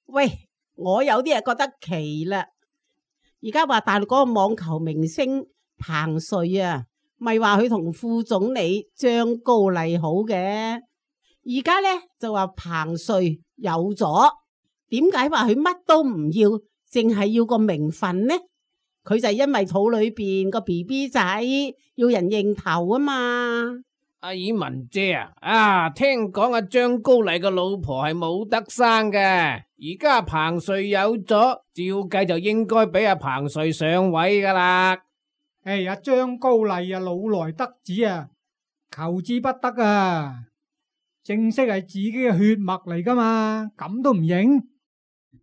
喂，我有啲嘢覺得奇啦。而家話大陸嗰個網球明星彭帥啊，咪話佢同副總理張高麗好嘅。而家咧就話彭帥有咗，點解話佢乜都唔要，淨係要個名分呢？佢就因為肚裏邊個 BB 仔要人認頭啊嘛。阿爾文姐聽講阿張高麗個老婆係冇得生嘅，而家彭帥有咗，照計就應該俾阿彭帥上位噶啦。阿張高麗老來得子啊，求之不得啊！正式係自己嘅血脈嚟噶嘛，咁都唔認？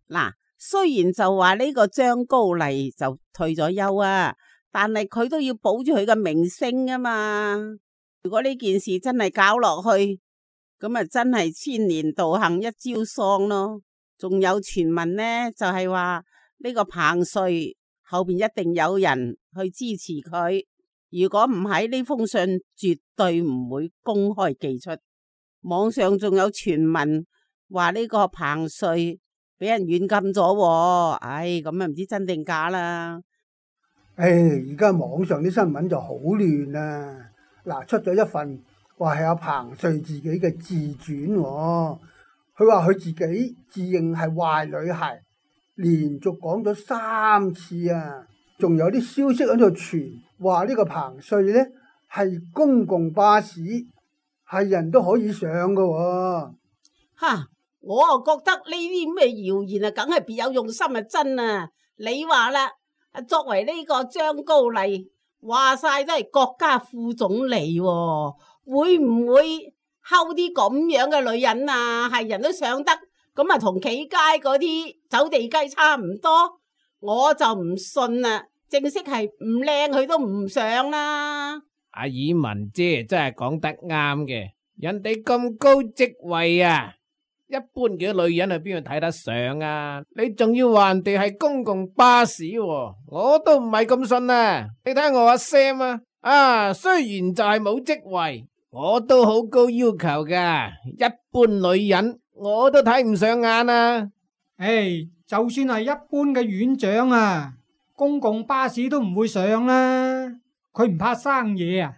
嗱，雖然就話呢個張高麗就退咗休啊，但係佢都要保住佢嘅名聲啊嘛。如果呢件事真係搞落去，咁啊真係千年道行一朝喪咯。仲有傳聞呢，就係話呢個彭帥後邊一定有人去支持佢。如果唔係，呢封信絕對唔會公開寄出。網上仲有傳聞話呢個彭帥俾人軟禁咗，咁啊唔知真定假啦。而家網上啲新聞就好亂啊！嗱，出咗一份話係阿彭帥自己嘅自傳，佢話佢自己自認係壞女孩，連續講咗3次啊！仲有啲消息喺度傳話呢個彭帥呢係公共巴士，係人都可以上㗎。我啊覺得呢啲咩謠言啊，梗係別有用心啊，真啊！你話啦，作為呢個張高麗，話晒都係國家副總理喎，會唔會溝啲咁樣嘅女人啊？係人都上得，咁啊同企街嗰啲走地雞差唔多，我就唔信啦。正式係唔靚，佢都唔上啦。阿爾文姐真係講得啱嘅，人哋咁高職位啊，一般嘅女人係邊度睇得上啊？你仲要話人哋係公共巴士喎，我都唔係咁信啊！你睇我阿 Sam 雖然就係冇職位，我都好高要求噶，一般女人我都睇唔上眼啊！就算係一般嘅院長啊，公共巴士都唔會上啦，佢唔怕生嘢啊！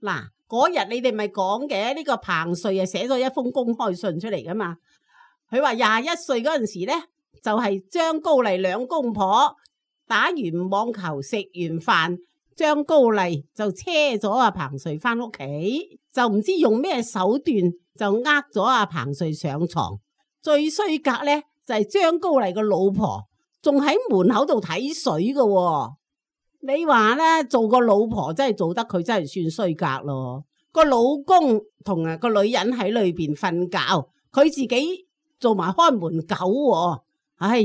嗱，嗰日你哋咪講嘅呢個彭帥寫咗一封公開信出嚟噶嘛？佢話21歲嗰陣時呢，就係張高麗兩公婆打完網球食完飯，張高麗就車咗阿彭帥翻屋企，就唔知用咩手段就呃咗阿彭帥上床。最衰格呢，就係張高麗個老婆仲喺門口度睇水噶喎。你話呢，做個老婆真係做得佢真係算衰格咯。個老公同個女人喺裏邊瞓覺，佢自己做埋開門狗喎。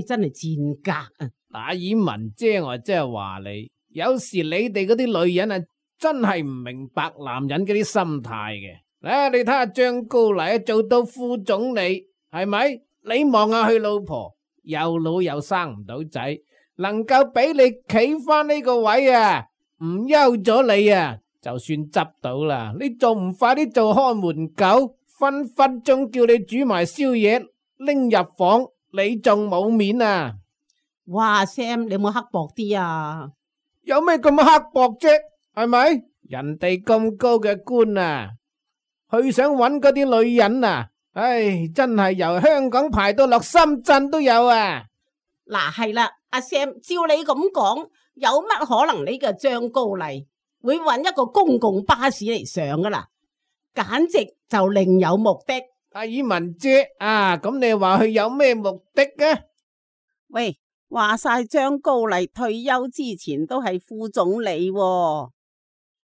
真係賤格啊！阿爾文姐，我真係話你，有時你哋嗰啲女人啊，真係唔明白男人嗰啲心態嘅。你睇下張高麗做到副總理，係咪？你望下佢老婆，又老又生唔到仔，能夠俾你企翻呢個位啊，唔休咗你啊，就算執到啦，你仲唔快啲做看門狗，分分鐘叫你煮埋宵夜拎入房，你仲冇面啊！哇 Sam， 你有冇刻薄啲啊？有咩咁刻薄啫？係咪？人哋咁高嘅官啊，佢想揾嗰啲女人啊，真係由香港排到落深圳都有啊！嗱，係啦，阿 Sam， 照你咁講，有乜可能呢個張高麗會揾一個公共巴士嚟上噶啦？簡直就另有目的。阿爾文姐咁你話佢有咩目的啊？喂，話晒張高麗退休之前都係副總理喎，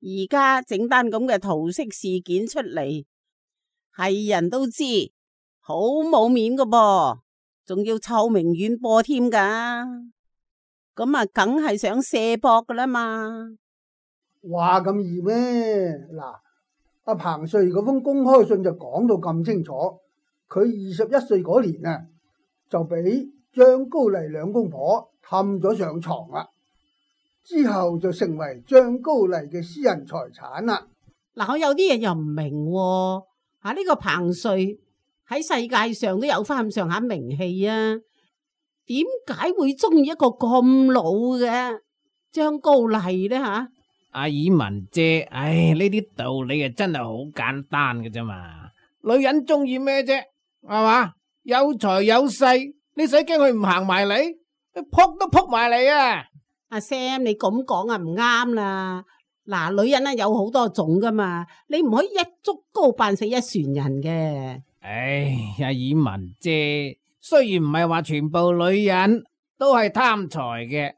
而家整單咁嘅桃色事件出嚟，係人都知，好冇面噶噃。仲要臭名遠播添噶，咁啊，梗係想卸膊噶啦嘛。話咁易咩？嗱，阿彭帥嗰封公開信就講到咁清楚，佢21歲嗰年啊，就俾張高麗兩公婆氹咗上床啦。之後就成為張高麗嘅私人財產啦。嗱，我有啲嘢又唔明喎。呢個彭帥喺世界上都有翻咁上下名氣啊，點解會中意一個咁老嘅張高麗呢？阿爾文姐，唉，呢啲道理啊真係好簡單嘅啫嘛。女人中意咩啫，係嘛？有財有勢，你使驚佢唔行埋嚟？撲都撲埋嚟啊！阿 Sam，你咁講啊唔啱啦。嗱，女人咧有好多種噶嘛，你唔可以一竹篙扮死一船人嘅。唉，阿爾文姐，雖然唔係話全部女人都係貪財嘅，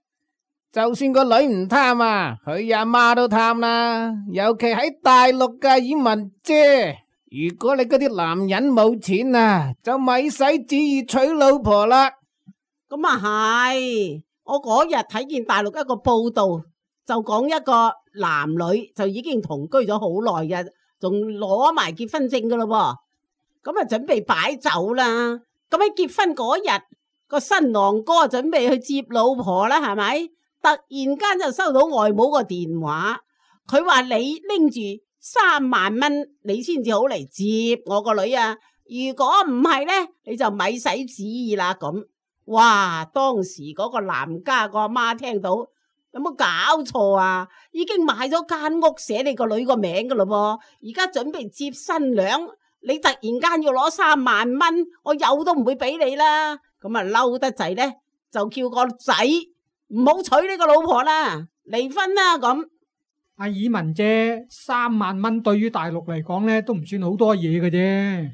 就算個女唔貪啊，佢阿媽都貪啦。尤其喺大陸嘅爾文姐，如果你嗰啲男人冇錢啊，就咪使旨意娶老婆啦。咁啊係，我嗰日睇見大陸一個報道，就講一個男女就已經同居咗好耐嘅，仲攞埋結婚證噶咯噃，咁啊準備擺酒啦。咁喺結婚嗰日，個新郎哥準備去接老婆啦，係咪？突然間就收到外母個電話，佢話你拎住3萬蚊，你先至好嚟接我個女啊！如果唔係呢，你就咪使旨意啦咁。哇！當時嗰個男家個阿媽聽到，有冇搞錯啊？已經買咗間屋寫你個女個名噶咯噃，而家準備接新娘，你突然間要攞3萬蚊，我有都唔會俾你啦。咁啊嬲得滯呢，就叫個仔唔好娶呢個老婆啦，離婚啦咁。阿爾文姐，3萬蚊對於大陸嚟講呢，都唔算好多嘢嘅啫。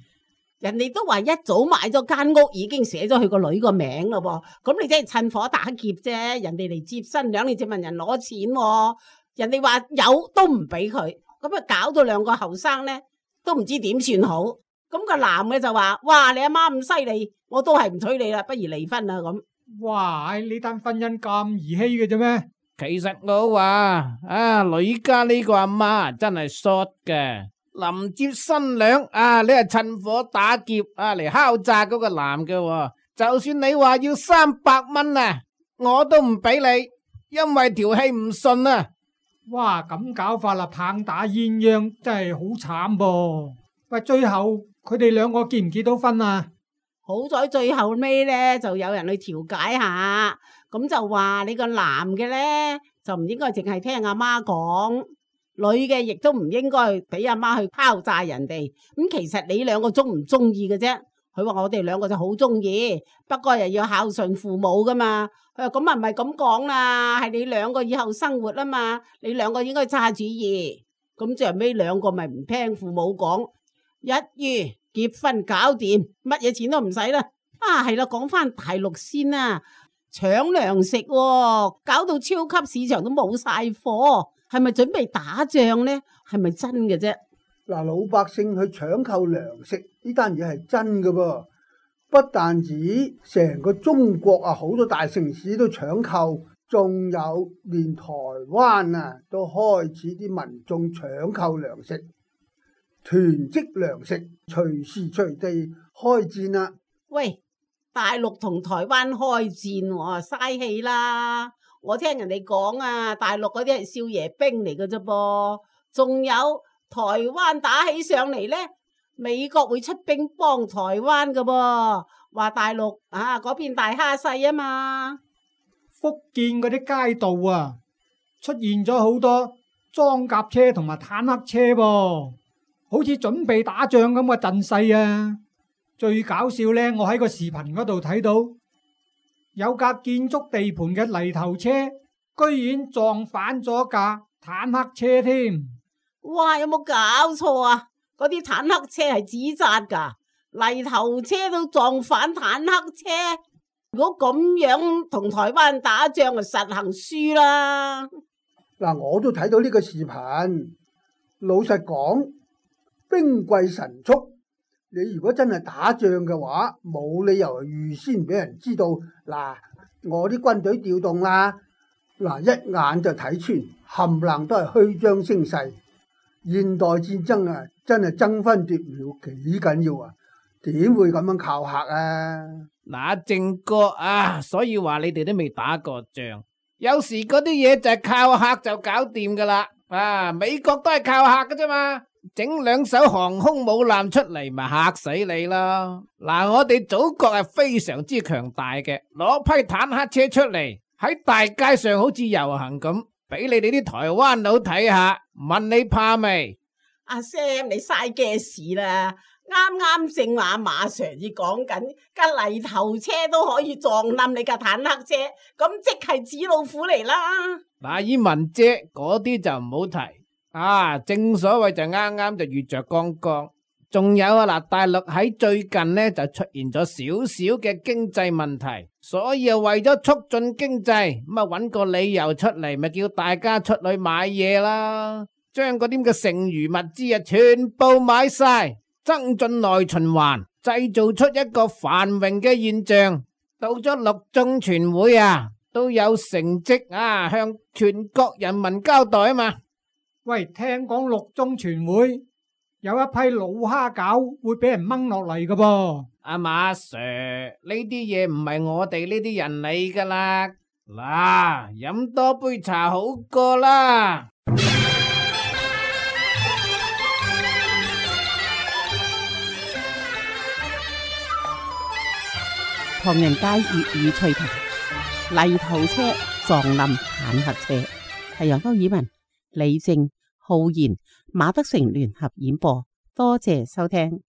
人哋都話一早買咗間屋，已經寫咗佢個女個名咯噃，咁你真係趁火打劫啫！人哋嚟接新娘，你就問人攞錢喎，人哋話有都唔俾佢，咁啊搞到兩個後生呢都唔知點算好。咁個男嘅就話：哇，你阿媽咁犀利，我都係唔娶你啦，不如離婚啦咁。哇！呢單婚姻咁兒戲嘅啫咩？其實我話女家呢個阿媽真係 short 嘅。臨接新娘你係趁火打劫嚟敲詐嗰個男嘅，就算你話要300蚊啊，我都唔俾你，因為條氣唔順啊！哇，咁搞法啦，棒打鴛鴦真係好慘噃！喂，最後佢哋兩個結唔結到婚啊？好在最後尾呢，就有人去調解下，咁就話你個男嘅呢，就唔應該淨係聽阿媽講。女嘅亦都唔應該俾阿媽去敲詐人哋，咁其實你兩個中唔中意嘅啫？佢話我哋兩個就好中意，不過又要孝順父母噶嘛。佢話咁啊唔係咁講啦，係你兩個以後生活啊嘛，你兩個應該揸主意。咁最後尾兩個咪唔聽父母講，一於結婚搞掂，乜嘢錢都唔使啦。係啦，講翻大陸先啦，搶糧食喎，搞到超級市場都冇晒貨。係咪準備打仗呢？係咪真嘅啫？嗱，老百姓去搶購糧食呢單嘢係真嘅噃，不但止成個中國好多大城市都搶購，仲有連台灣都開始啲民眾搶購糧食，囤積糧食，隨時隨地開戰啦！喂，大陸同台灣開戰喎，嘥氣啦！我聽人哋講大陸嗰啲係少爺兵嚟嘅啫噃，仲有台灣打起上嚟呢，美國會出兵幫台灣嘅噃，話大陸嗰邊大蝦細啊嘛。福建嗰啲街道出現咗好多裝甲車同埋坦克車噃，好似準備打仗咁嘅陣勢啊！最搞笑呢，我喺個視頻嗰度睇到，有架建築地盤嘅泥頭車，居然撞反咗架坦克車添！哇，有冇搞錯啊？嗰啲坦克車係紙紮噶，泥頭車都撞反坦克車。如果咁樣同台灣打仗，就實行輸啦。嗱，我都睇到呢個視頻。老實講，兵貴神速。你如果真係打仗嘅話，冇理由預先俾人知道。嗱，我啲軍隊調動啦，嗱，一眼就睇穿，冚唪唥都係虛張聲勢。現代戰爭真係爭分奪秒，幾緊要啊！點會咁樣靠嚇啊？嗱，正哥所以話你哋都未打過仗，有時嗰啲嘢就係靠客就搞掂噶啦。美國都係靠客噶啫嘛，整2艘航空母艦出嚟咪嚇死你咯。我哋祖國係非常之強大嘅，攞批坦克車出嚟喺大街上好似遊行咁，俾你哋啲台灣佬睇下，問你怕未？阿 Sam， 你嘥嘅事啦！啱啱正話馬 Sir 至講緊架泥頭車都可以撞冧你架坦克車，咁即係紙老虎嚟啦！以文姐嗰啲就唔好提，正所謂就啱啱就遇着剛剛。仲有大陸喺最近呢就出現咗少少嘅經濟問題，所以為咗促進經濟，咁搵個理由出嚟，咪叫大家出去買嘢啦，將嗰啲嘅剩餘物資全部買晒，增進內循環，製造出一個繁榮嘅現象。到咗六中全會都有成績向全國人民交代嘛。喂，聽講六中全會有一批老蝦餃會俾人掹落嚟㗎噃。阿馬 Sir， 呢啲嘢唔係我哋呢啲人理噶啦，飲多杯茶好過啦。唐人街粵語趣談，泥頭車撞冧坦克車，係由歐爾文、李正、浩然、馬德成聯合演播，多謝收聽。